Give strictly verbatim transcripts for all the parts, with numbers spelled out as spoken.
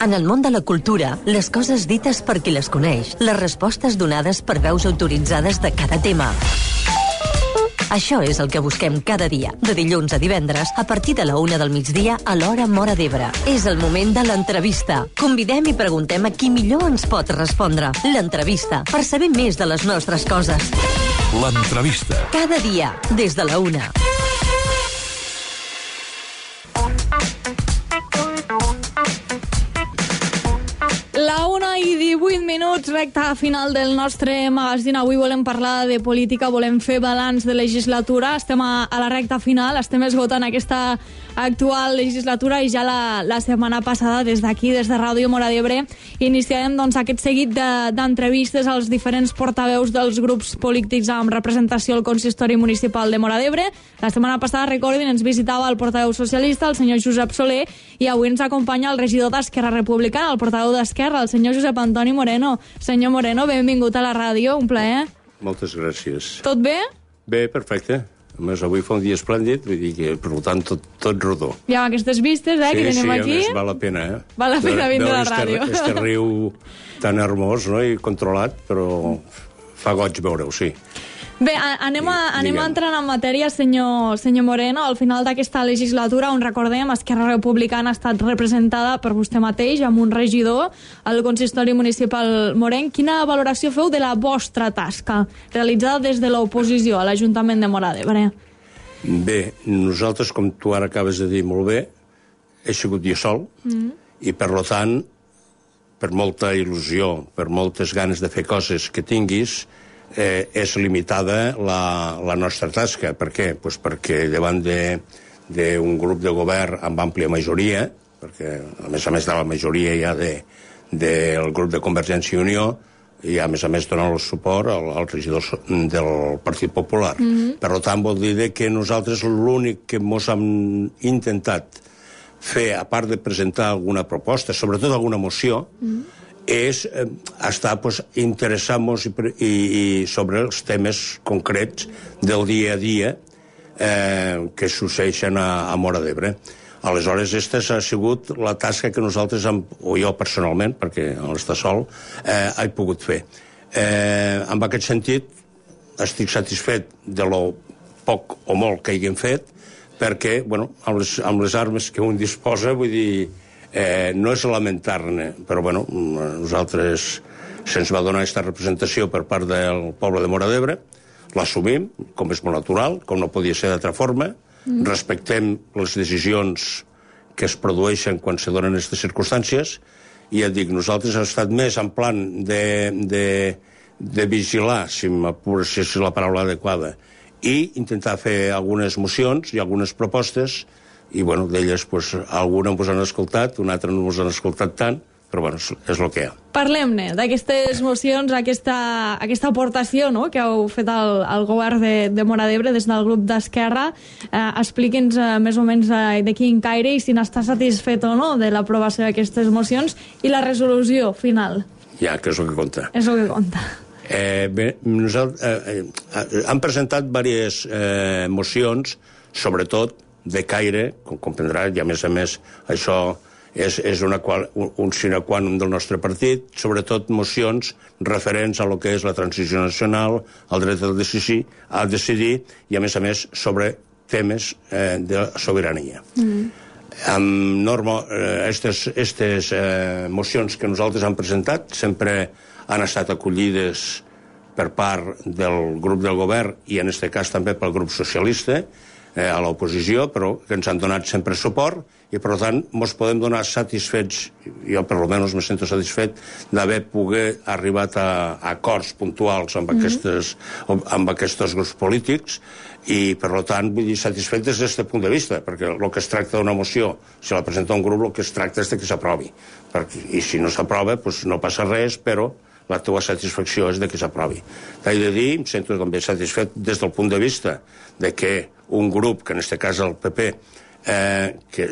En el món de la cultura, les coses dites per qui les coneix, les respostes donades per veus autoritzades de cada tema. Això és el que busquem cada dia, de dilluns a divendres, a partir de la una del migdia a l'hora Móra d'Ebre. És el moment de l'entrevista. Convidem i preguntem a qui millor ens pot respondre. L'entrevista, per saber més de les nostres coses. L'entrevista. Cada dia, des de la una. La una i divuit minuts, recta final del nostre magazín. Avui volem parlar de política, volem fer balanç de legislatura. Estem a, a la recta final, estem esgotant aquesta actual legislatura i ja la, la setmana passada, des d'aquí, des de Ràdio Móra d'Ebre, iniciarem doncs, aquest seguit d'entrevistes de, als diferents portaveus dels grups polítics amb representació al Consistori Municipal de Móra d'Ebre. La setmana passada, recordin, ens visitava el portaveu socialista, el senyor Josep Soler, i avui ens acompanya el regidor d'Esquerra Republicana, el portaveu d'Esquerra, el senyor Josep Antoni Moreno. Senyor Moreno, benvingut a la ràdio, un plaer. Moltes gràcies. Tot bé? Bé, perfecte. A més, avui fa un dia esplèndid, vull dir que, per tant, tot, tot rodó. I amb aquestes vistes, eh, sí, que tenim sí, aquí... Sí, val la pena, eh? Val la pena vindre a la este, ràdio. Este riu tan hermós, no?, i controlat, però fa goig veure-ho, sí. Bé, anem a, anem a entrar en matèria, senyor, senyor Moreno. Al final d'aquesta legislatura, on recordem, Esquerra Republicana ha estat representada per vostè mateix, amb un regidor, al Consistori Municipal Morenc. Quina valoració feu de la vostra tasca, realitzada des de l'oposició a l'Ajuntament de Móra d'Ebre? Bé, nosaltres, com tu ara acabes de dir molt bé, he sigut jo sol, mm. i per tant, per molta il·lusió, per moltes ganes de fer coses que tinguis, eh, és limitada la, la nostra tasca. Per què? Pues perquè davant d'un grup de govern amb àmplia majoria, perquè a més a més de la majoria ja de, del grup de Convergència i Unió, i a més a més donar el suport al, al regidor del Partit Popular. Mm-hmm. Per tant, vol dir que nosaltres l'únic que ens hem intentat fer, a part de presentar alguna proposta, sobretot alguna moció, mm-hmm. és eh, estar pues, interessant-nos i, i, i sobre els temes concrets del dia a dia eh, que succeeixen a, a Móra d'Ebre. Aleshores, aquesta ha sigut la tasca que nosaltres, hem, o jo personalment, perquè no està sol, eh, he pogut fer. Eh, en aquest sentit, estic satisfet de lo poc o molt que hagin fet, perquè, bueno, amb les, amb les armes que un disposa, vull dir, eh, no és lamentar-ne, però, bueno, nosaltres se'ns va donar aquesta representació per part del poble de Móra d'Ebre, l'assumim, com és molt natural, com no podia ser d'altra forma, Mm. respectem les decisions que es produeixen quan se donen aquestes circumstàncies, i ja et dic, nosaltres hem estat més en plan de, de, de vigilar, si m'apures, si és la paraula adequada, i intentar fer algunes mocions i algunes propostes, i bueno, d'elles pues, alguna ens han escoltat, una altra no ens han escoltat tant, però bueno, és, és el que hi ha. Parlem-ne d'aquestes mocions, aquesta, aquesta aportació, no?, que heu fet al, al govern de, de Móra d'Ebre des del grup d'Esquerra. Eh, Expliqui'ns eh, més o menys eh, de quin caire i si n'està satisfet o no de l'aprovació d'aquestes mocions i la resolució final. Ja, que és el que compta. És el que compta. Eh, bé, nosaltres eh, eh, han presentat diverses eh, mocions, sobretot de caire, com comprendrà, i a més a més això és, és una qual, un, un sine qua non del nostre partit, sobretot mocions referents a lo que és la transició nacional, el dret a decidir, a decidir i a més a més sobre temes eh, de sobirania. Mm. Amb norma, aquestes eh, estes, eh, mocions que nosaltres hem presentat sempre han estat acollides per part del grup del govern i en aquest cas també pel grup socialista, eh, a l'oposició, però que ens han donat sempre suport i per tant ens podem donar satisfets, jo per almenys me sento satisfet d'haver pogut arribat a, a acords puntuals amb, mm-hmm. aquestes, amb aquests grups polítics i per tant vull dir satisfet des d'aquest punt de vista, perquè el que es tracta d'una moció, si la presenta un grup el que es tracta és de que s'aprovi, i si no s'aprova doncs no passa res, però la teva satisfacció és de que s'aprovi. T'he de dir, em sento també satisfet des del punt de vista de que un grup, que en aquest cas el P P, eh, que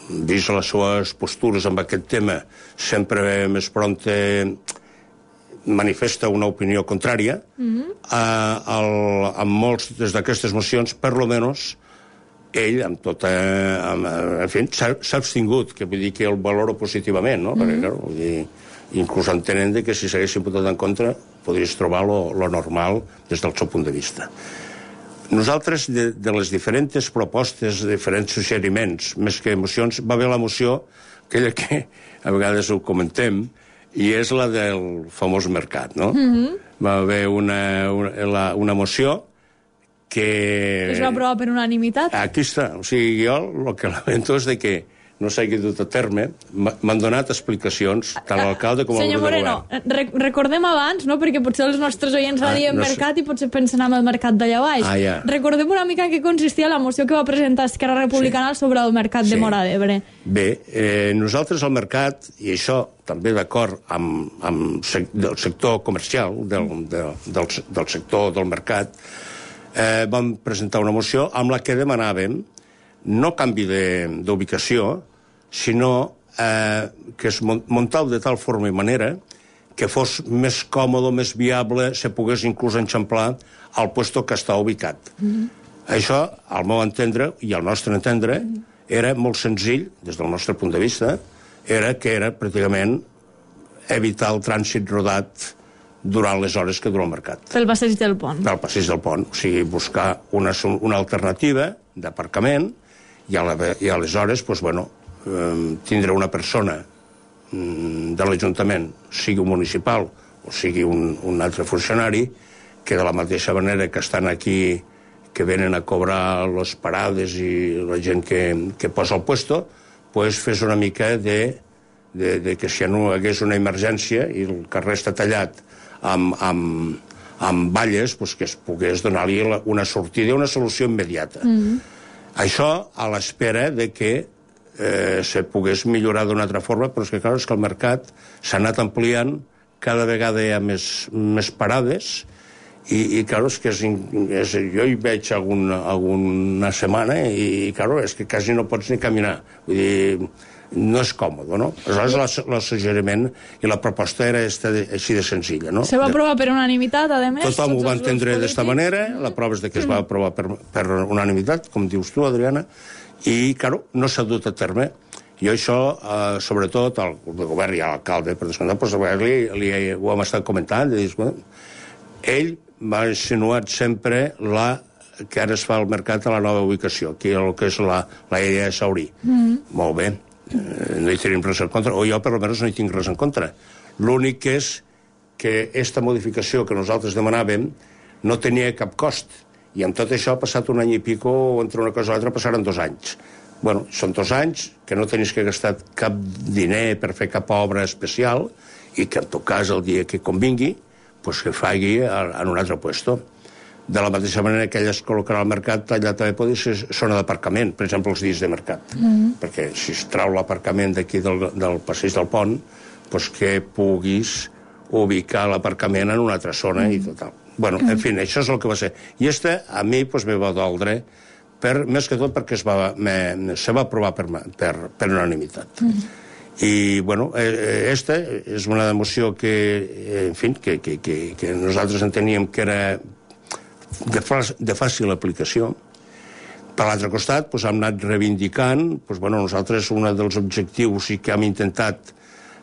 vist les seves postures amb aquest tema sempre més prompte manifesta una opinió contrària, mm-hmm. eh, el, amb molts d'aquestes mocions, per lo menos ell, amb tota... Amb, en fi, s'ha abstingut, que vull dir que el valoro positivament, no? Mm-hmm. Perquè, clar, vull dir, inclús entenent que si s'haguessin votat en contra podries trobar lo, lo normal des del seu punt de vista. Nosaltres, de, de les diferents propostes, diferents suggeriments, més que emocions, va haver la moció, aquella que a vegades ho comentem, i és la del famós mercat, no? Mm-hmm. Va haver una, una, la, una moció que... Es va aprovar per unanimitat? Aquí està. O sigui, jo el que lamento és de que no s'hagi dut a terme. M'han donat explicacions, tant l'alcalde com el govern de govern. Senyor Moreno, recordem abans, no?, perquè potser els nostres oients ah, radien no mercat sé. I potser pensen en el mercat d'allà baix. Ah, ja. Recordem una mica en què consistia la moció que va presentar Esquerra Republicana sí. sobre el mercat sí. de Móra d'Ebre. Bé, eh, nosaltres al mercat, i això també d'acord amb, amb sec, del sector comercial, del, del, del, del sector del mercat, eh, vam presentar una moció amb la que demanàvem no canvi d'ubicació, sinó eh, que es muntau de tal forma i manera que fos més còmode, més viable, se pogués inclús enxamplar al puesto que està ubicat. Mm-hmm. Això, al meu entendre, i al nostre entendre, mm-hmm. era molt senzill, des del nostre punt de vista, era que era pràcticament evitar el trànsit rodat durant les hores que dura el mercat. Pel passeig del pont. Pel passeig del pont. O sigui, buscar una, una alternativa d'aparcament i, a la, i aleshores, doncs, bueno, eh, tindre una persona mm, de l'Ajuntament, sigui un municipal o sigui un, un altre funcionari, que de la mateixa manera que estan aquí, que venen a cobrar les parades i la gent que, que posa el puesto, pues fes una mica de, de, de que si no hi hagués una emergència i el carrer està tallat amb, amb, amb valles, pues que es pogués donar-li una sortida, una solució immediata. Mm-hmm. Això a l'espera de que eh, se pogués millorar d'una altra forma, però és que, clar, és que el mercat s'ha anat ampliant, cada vegada hi ha més, més parades, i, i clar, és que és, és, jo hi veig algun, alguna setmana i, clar, és que quasi no pots ni caminar. Vull dir, no és còmode, no? Aleshores, el suggeriment i la proposta era esta de, així de senzilla, no? Se va aprovar per unanimitat, a més? Tothom ho va entendre d'esta manera, la prova és de que es va aprovar per, per unanimitat, com dius tu, Adriana, i, claro, no s'ha dut a terme. Jo això, eh, sobretot, al govern i a l'alcalde, per descomptat, doncs, li, li, ho hem estat comentant, de dir, bueno, ell m'ha insinuat sempre la que ara es fa al mercat a la nova ubicació, que el que és la, la idea de Saurí. Mm. Molt bé. Eh, no hi tenim res en contra, o jo per almenys no hi tinc res en contra. L'únic és que aquesta modificació que nosaltres demanàvem no tenia cap cost, i amb tot això ha passat un any i pico, entre una cosa i l'altra passaren dos anys. Bueno, són dos anys que no tenies que gastar cap diner per fer cap obra especial, i que en tot cas el dia que convingui pues que faci en un altre puesto. De la mateixa manera que ella es col·locarà al mercat, allà també pot ser zona d'aparcament, per exemple, els dies de mercat. Mm-hmm. Perquè si es trau l'aparcament d'aquí del, del passeig del pont, doncs que puguis ubicar l'aparcament en una altra zona mm-hmm. i total. Bueno, en fi, això és el que va ser. I este, a mi, doncs, me va doldre, per, més que tot perquè es va, me, se va aprovar per, per, per unanimitat. Mm-hmm. I, bueno, esta és una emoció que, en fi, que, que, que, que nosaltres enteníem que era de, de fàcil aplicació. Per l'altre costat, doncs, hem anat reivindicant, doncs, bueno, nosaltres un dels objectius i que hem intentat,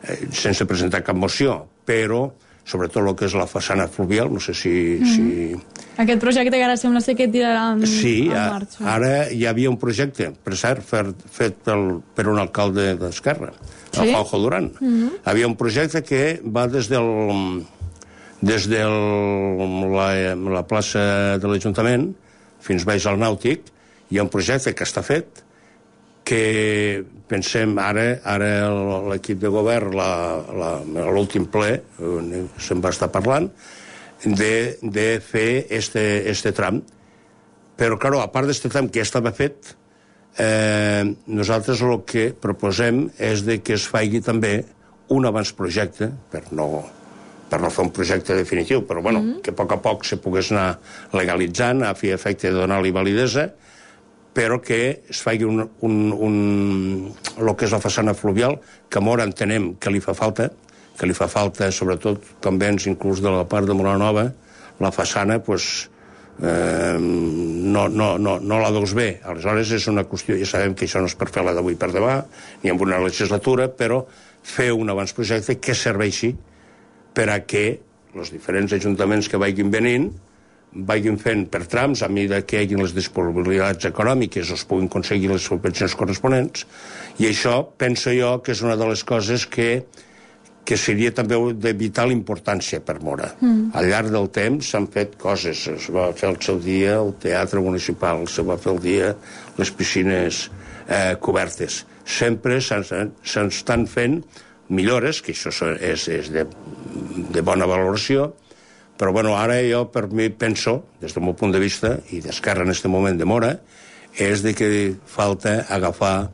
eh, sense presentar cap moció, però sobretot el que és la façana fluvial, no sé si... Mm-hmm. si... Aquest projecte que ara sembla ser que tirarà en, sí, en marxa. Sí, ara hi havia un projecte, per cert, fet, fet pel, per un alcalde d'Esquerra, sí? El Juanjo Durán. Mm-hmm. Havia un projecte que va des del... des de la, la plaça de l'Ajuntament fins baix al Nàutic. Hi ha un projecte que està fet, que pensem ara, ara l'equip de govern, l'últim ple, se'n va estar parlant, de, de fer este, este tram. Però, clar, a part d'este tram que ja estava fet, eh, nosaltres el que proposem és de que es faci també un abans-projecte, per no, per no fer un projecte definitiu, però bueno, mm-hmm. que a poc a poc se pogués anar legalitzant, a fi efecte de donar-li validesa, però que es faci un, un, un, el que és la façana fluvial, que a Móra entenem que li fa falta, que li fa falta, sobretot, també, inclús de la part de Móra Nova, la façana, pues, eh, no, no, no, no la veus bé. Aleshores és una qüestió, ja sabem que això no és per fer-la d'avui per demà, ni en una legislatura, però fer un avantprojecte que serveixi per a que els diferents ajuntaments que vagin venint vagin fent per trams, a mesura que hi hagi les disponibilitats econòmiques o es puguin aconseguir les subvencions corresponents, i això penso jo que és una de les coses que que seria també de vital importància per Móra. Mm. Al llarg del temps s'han fet coses. Es va fer al seu dia el teatre municipal, se va fer el dia les piscines eh, cobertes. Sempre s'estan fent millores, que això és, és de, de bona valoració, però bueno, ara jo per mi penso, des del meu punt de vista, i d'Esquerra en aquest moment de Móra, és de que falta agafar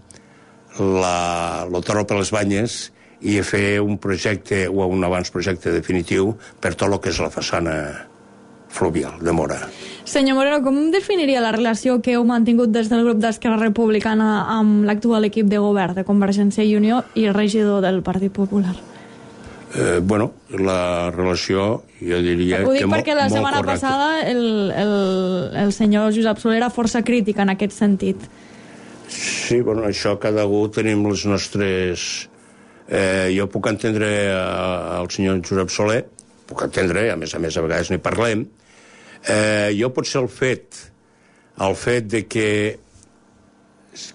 la, el toro per les banyes i fer un projecte o un abans-projecte definitiu per tot el que és la façana fluvial de Móra. Senyor Moreno, com definiria la relació que heu mantingut des del grup d'Esquerra Republicana amb l'actual equip de govern de Convergència i Unió i el regidor del Partit Popular? Eh, bueno, la relació, jo diria que molt correcta. Ho dic perquè la setmana passada el, el, el senyor Josep Soler era força crític en aquest sentit. Sí, bueno, això cada un tenim les nostres... Eh, jo puc entendre el senyor Josep Soler, puc entendre, a més a més a vegades n'hi parlem. Eh, jo potser el fet, el fet de que,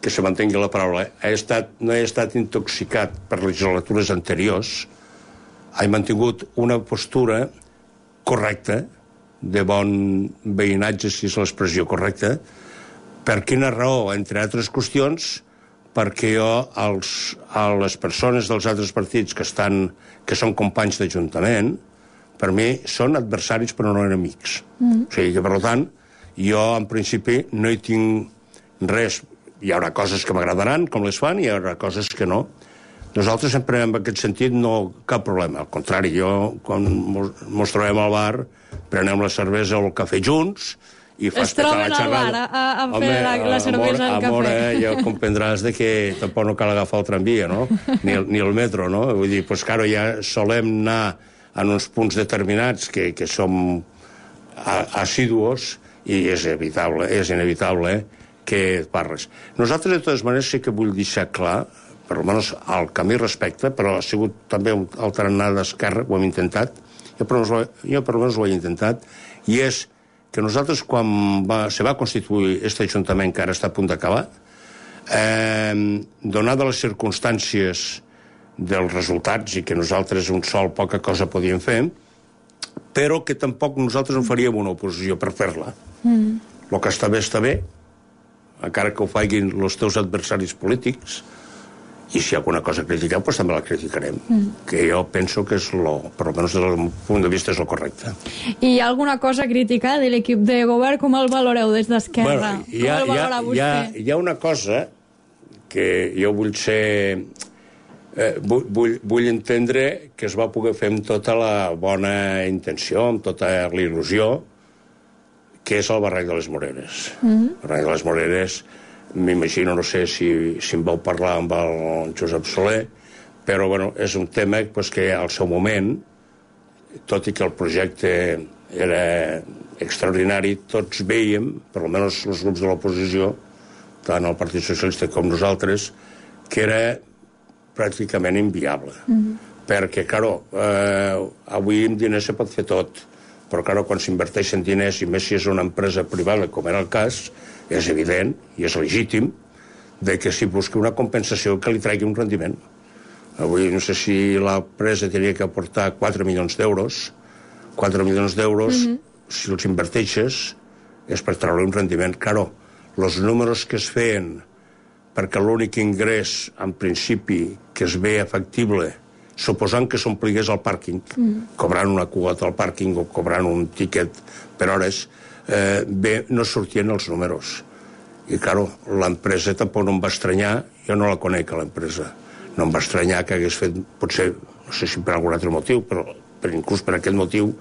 que se mantengui la paraula, he estat, no he estat intoxicat per legislatures anteriors, he mantingut una postura correcta, de bon veïnatge, si és l'expressió correcta. Per quina raó? Entre altres qüestions, perquè jo, els, a les persones dels altres partits que, estan, que són companys d'Ajuntament, per mi són adversaris però no enemics. Mm. O sigui que, per tant, jo en principi no hi tinc res. Hi haurà coses que m'agradaran, com les fan, i hi haurà coses que no. Nosaltres sempre en aquest sentit no cap problema. Al contrari, jo, quan mos trobem al bar, prenem la cervesa o el cafè junts, i es troben al bar a, a fer Home, la, la cervesa al cafè. Amor, ja comprendràs de que tampoc no cal agafar el tramvia, no? Ni el, ni el metro, no? Vull dir, pues, claro, ja solem anar en uns punts determinats que, que som assíduos i és evitable, és inevitable que parles. Nosaltres, de totes maneres, sí que vull deixar clar, per almenys al camí respecte, però ha sigut també un alternat d'esquerra, ho hem intentat, jo per almenys ho he intentat, i és que nosaltres, quan va, se va constituir aquest Ajuntament que ara està a punt d'acabar, eh, donada les circumstàncies dels resultats i que nosaltres un sol poca cosa podíem fer, però que tampoc nosaltres no faríem una oposició per fer-la. Mm. El que està bé, està bé, encara que ho facin els teus adversaris polítics, i si hi ha alguna cosa a criticar, doncs també la criticarem. Mm. Que jo penso que és, lo, per almenys des del punt de vista, és el correcte. I hi ha alguna cosa a criticar de l'equip de govern? Com el valoreu des d'Esquerra? Bueno, hi, ha, com el valora vostè? Hi ha, hi ha una cosa que jo vull ser... Eh, vull, vull, vull entendre que es va poder fer amb tota la bona intenció, amb tota la il·lusió, que és el barranc de les Moreres. Mm. El barranc de les Moreres... M'imagino, no sé si, si em vau parlar amb el Josep Soler, però bueno, és un tema pues, que al seu moment, tot i que el projecte era extraordinari, tots veiem, per almenys els grups de l'oposició, tant el Partit Socialista com nosaltres, que era pràcticament inviable. Mm-hmm. Perquè, claro, eh, avui amb diners se pot fer tot, però claro, quan s'inverteixen diners, i més si és una empresa privada, com era el cas, és evident i és legítim de que s'hi busqui una compensació que li tregui un rendiment. Avui no sé si l'empresa tenia que aportar quatre milions d'euros. quatre milions d'euros, mm-hmm. si els inverteixes, és per treure un rendiment. Claro, els números que es feien perquè l'únic ingrés, en principi, que es ve factible, suposant que s'ompligués el pàrquing, mm. cobrant una quota al pàrquing o cobrant un tiquet per hores, eh, bé, no sortien els números. I, claro, l'empresa tampoc no em va estranyar, jo no la conec, l'empresa, no em va estranyar que hagués fet, potser, no sé si per algun altre motiu, però per, inclús per aquest motiu,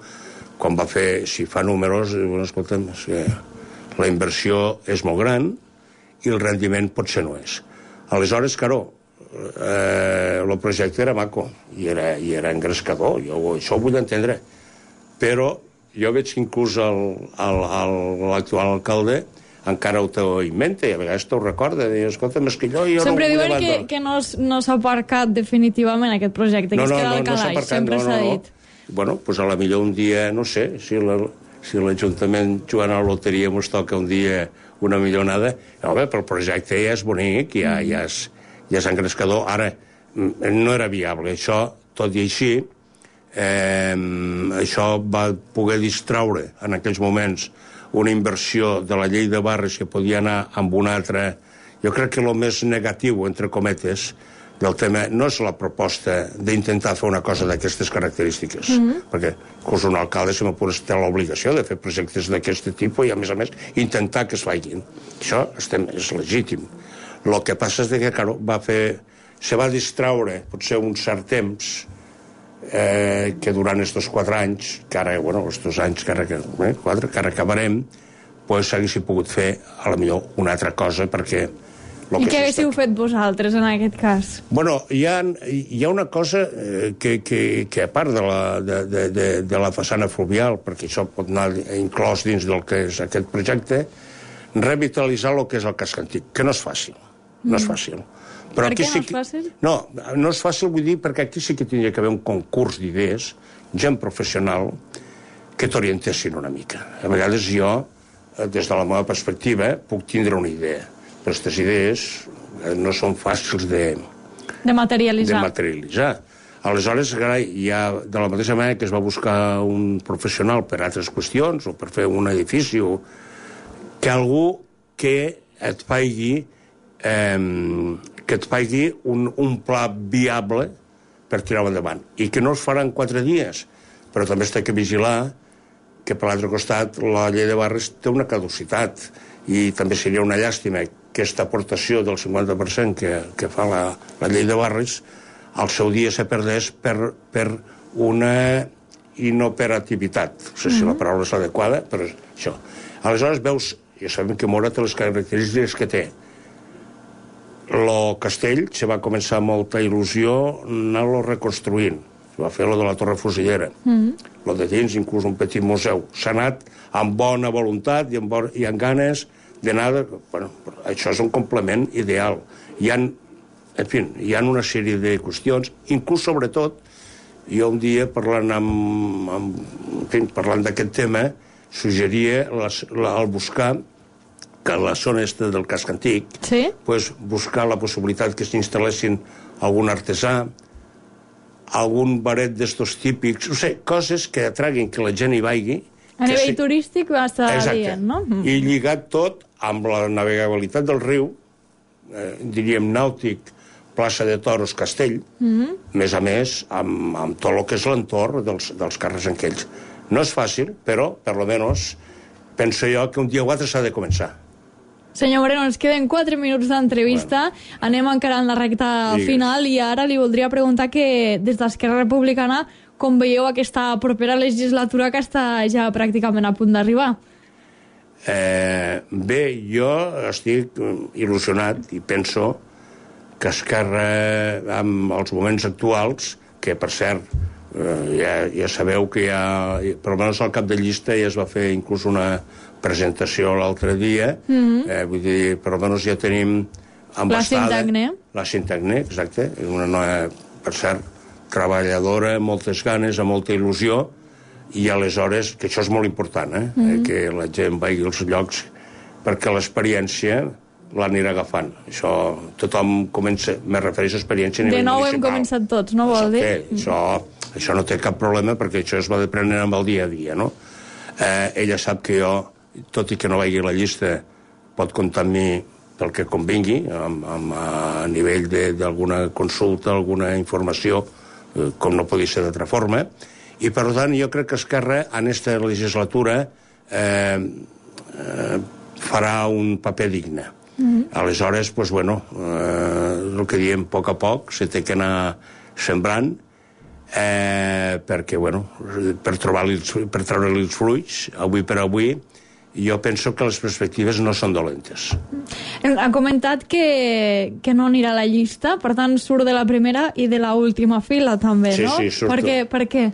quan va fer, si fa números, bueno, escolta'm, sí, la inversió és molt gran i el rendiment potser no és. Aleshores, claro, eh, el projecte era maco i era, i era engrescador, jo això ho vull entendre, però jo veig que inclús l'actual alcalde encara ho t'ho inventa, i a vegades t'ho recorda, i escolta, és que jo... jo sempre no diuen que, que no, no s'ha aparcat definitivament aquest projecte, no, que es no, queda no, al calaix, no sempre no, s'ha no, dit. No. Bueno, doncs a la millor un dia, no sé, si la, si l'Ajuntament jugant a la loteria ens toca un dia una millonada, no, bé, però el projecte ja és bonic, ja, ja, és, ja és engrescador. Ara, no era viable. Això, tot i així, eh, això va poder distraure en aquells moments una inversió de la llei de barris que podia anar amb una altra... Jo crec que el més negatiu, entre cometes, del tema no és la proposta d'intentar fer una cosa d'aquestes característiques, mm-hmm. perquè inclús un alcalde, si m'apures, té l'obligació de fer projectes d'aquest tipus i, a més a més, intentar que es facin. Això estem, és legítim. El que passa és que, claro, va fer... se va distraure, potser un cert temps, eh, que durant estos quatre anys, que ara, bueno, estos anys que ara, eh, quatre, que ara acabarem, pues s'haguessin pogut fer, a la millor, una altra cosa, perquè... I què haguéssiu fet vosaltres, en aquest cas? Bueno, hi ha, hi ha una cosa eh, que, que, que a part de la, de, de, de, de la façana fluvial, perquè això pot anar inclòs dins del que és aquest projecte, revitalitzar el que és el casc antic, que no és fàcil, no és fàcil. Però per què sí no és que... fàcil? No, no és fàcil, vull dir, perquè aquí sí que tindria que haver un concurs d'idees, gent professional, que t'orientessin una mica. A vegades jo, des de la meva perspectiva, puc tindre una idea, però aquestes idees no són fàcils de, de materialitzar. De materialitzar. Aleshores, hi ha, de la mateixa manera que es va buscar un professional per altres qüestions, o per fer un edifici, o que algú que et faci, eh, que et faci un, un pla viable per tirar-ho endavant. I que no es farà en quatre dies, però també es té que vigilar que per l'altre costat la llei de barris té una caducitat, i també seria una llàstima que aquesta aportació del cinquanta per cent que, que fa la, la llei de barris al seu dia se perdés per, per una inoperativitat. No sé si la paraula és adequada, però això. Aleshores veus, ja sabem que Mora té les característiques que té. El castell se va començar amb molta il·lusió anar-lo reconstruint. Se va fer lo de la Torre Fusillera. Mm-hmm. Lo de dins, inclús un petit museu. S'ha anat amb bona voluntat i amb, bon, i amb ganes d'anar... Bueno, això és un complement ideal. Hi ha, en fi, hi ha una sèrie de qüestions, inclús, sobretot, jo un dia, parlant amb, amb, en fi, parlant d'aquest tema, suggeria les, la, el buscar que a la zona est del casc antic, sí? pues, buscar la possibilitat que s'instal·lessin algun artesà, algun baret d'estos típics, no sé, coses que atraguin que la gent hi vagi. A nivell si... turístic va estar dient, no? I lligat tot amb la navegabilitat del riu, eh, diríem nàutic, plaça de Toros, Castell, mm-hmm. més a més, amb, amb tot el que és l'entorn dels, dels carrers aquells. No és fàcil, però, per lo menos, penso jo que un dia o altre s'ha de començar. Senyor Moreno, ens queden quatre minuts d'entrevista, bueno. Anem encara en la recta Digues. final, i ara li voldria preguntar que des d'Esquerra Republicana com veieu aquesta propera legislatura que està ja pràcticament a punt d'arribar? Eh, bé, jo estic il·lusionat i penso que Esquerra, amb els moments actuals, que per cert, eh, ja, ja sabeu que ja, per almenys al cap de llista ja es va fer inclús una presentació l'altre dia, mm-hmm. eh, vull dir, per almenys ja tenim embastada... La Sintagné. La Sintagné, exacte, una noia, per cert, treballadora, amb moltes ganes, amb molta il·lusió, i aleshores, que això és molt important, eh? Mm-hmm. que la gent vagi als llocs, perquè l'experiència l'anirà agafant. Això, tothom comença, me refereixo a experiència a nivell municipal. De nou municipal. hem començat tots, no vol dir? Això, això no té cap problema, perquè això es va deprenent amb el dia a dia, no? Eh, ella sap que jo, tot i que no vagi a la llista, pot comptar amb mi pel que convingui, amb, amb, a nivell d'alguna consulta, alguna informació, eh, com no podia ser d'altra forma, i per tant jo crec que Esquerra en aquesta legislatura eh, eh, farà un paper digne. Mm-hmm. Aleshores, pues, bueno, eh, el que diem, a poc a poc, se té que anar sembrant, eh, perquè, bueno, per, per treure-li els fruits, avui per avui, jo penso que les perspectives no són dolentes. Ha comentat que, que no anirà a la llista, per tant surt de la primera i de la última fila també, sí, no? Sí, sí, per què? Per què?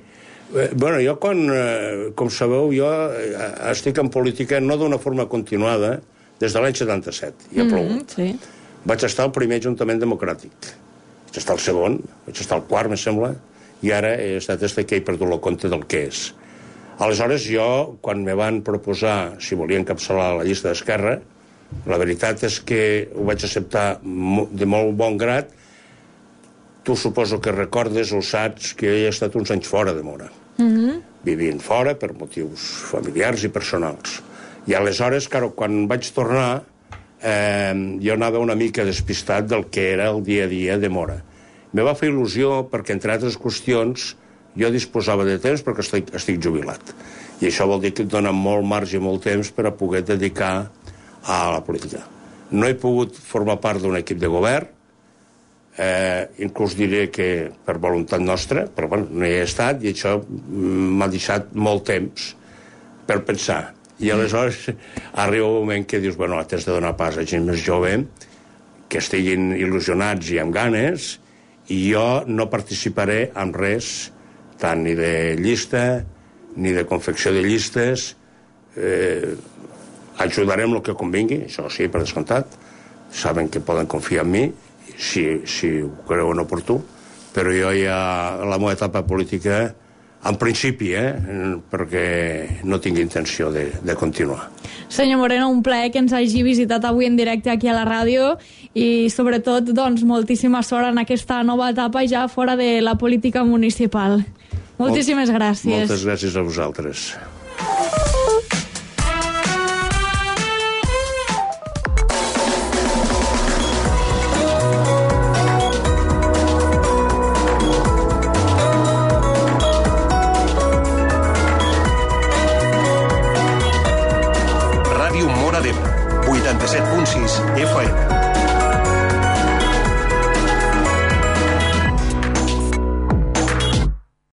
Eh, bueno, jo, quan, eh, com sabeu, jo eh, estic en política no d'una forma continuada des de l'any setanta-set, i ha plogut. Mm, sí. Vaig estar al primer Ajuntament Democràtic. Vaig estar al segon, vaig estar al quart, me sembla, i ara he estat este que he perdut el compte del que és. Aleshores, jo, quan me van proposar si volia encapçalar la llista d'Esquerra, la veritat és que ho vaig acceptar de molt bon grat. Tu suposo que recordes o saps que he estat uns anys fora de Móra. Mm-hmm. Vivint fora per motius familiars i personals. I aleshores, clar, quan vaig tornar, eh, jo anava una mica despistat del que era el dia a dia de Móra. Me va fer il·lusió perquè, entre altres qüestions, jo disposava de temps perquè estic, estic jubilat. I això vol dir que et dona molt marge i molt temps per a poder dedicar a la política. No he pogut formar part d'un equip de govern, eh, inclús diré que per voluntat nostra, però bueno, no hi he estat, i això m'ha deixat molt temps per pensar. I aleshores arriba un moment que dius, bueno, t'has de donar pas a gent més jove, que estiguin il·lusionats i amb ganes, i jo no participaré en res, tant ni de llista, ni de confecció de llistes. Eh, ajudarem el que convingui, això sí, per descomptat. Saben que poden confiar en mi, si, si ho creuen oportú, però jo ja, la meva etapa política, en principi, eh, perquè no tinc intenció de, de continuar. Senyor Moreno, un plaer que ens hagi visitat avui en directe aquí a la ràdio i, sobretot, doncs, moltíssima sort en aquesta nova etapa ja fora de la política municipal. Moltíssimes gràcies. Moltes gràcies a vosaltres.